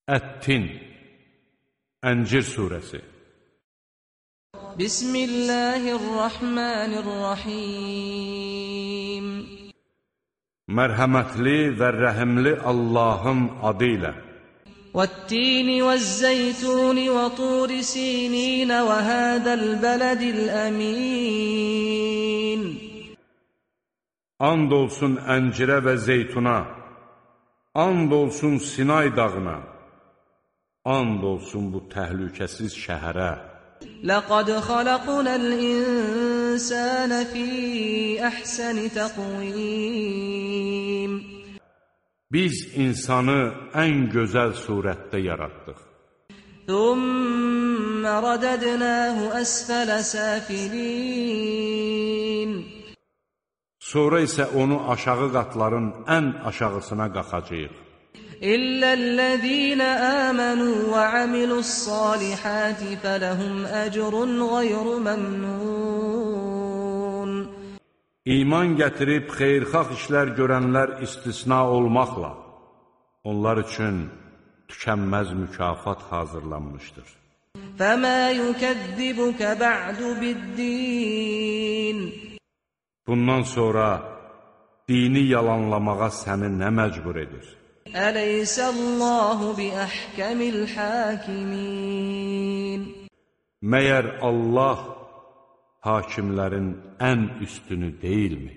Ət-Tin, Əncir surəsi. Bismillahirrahmanirrahim. Mərhəmətli və rəhimli Allahın adı ilə. وَالتِّينِ وَالزَّيْتُونِ وَطُورِ سِينِينَ وَهَذَا الْبَلَدِ الْأَمِينَ. And olsun əncirə və zeytuna, and olsun Sinay dağına, and olsun bu təhlükəsiz şəhərə. لَقَدْ خَلَقْنَا الْإِنسَانَ فِي أَحْسَنِ تَقْوِيمٍ. Biz insanı ən gözəl surətdə yaratdıq. ثُمَّ رَدَدْنَاهُ أَسْفَلَ سَافِلِينَ. Sonra isə onu aşağı qatların ən aşağısına qaxacağıq. إِلَّا الَّذِينَ آمَنُوا وَعَمِلُوا الصَّالِحَاتِ فَلَهُمْ أَجْرٌ غَيْرُ مَمْنُونَ. İman gətirib xeyirxah işlər görənlər istisna olmaqla, onlar üçün tükənməz mükafat hazırlanmışdır. فَمَا يُكَذِّبُكَ بَعْدُ بِالدِّينِ. Bundan sonra dini yalanlamağa səni nə məcbur edir? أَلَيْسَ اللَّهُ بِأَحْكَمِ الْحَاكِمِينَ. Məyər Allah hakimlərin ən üstünü deyilmi?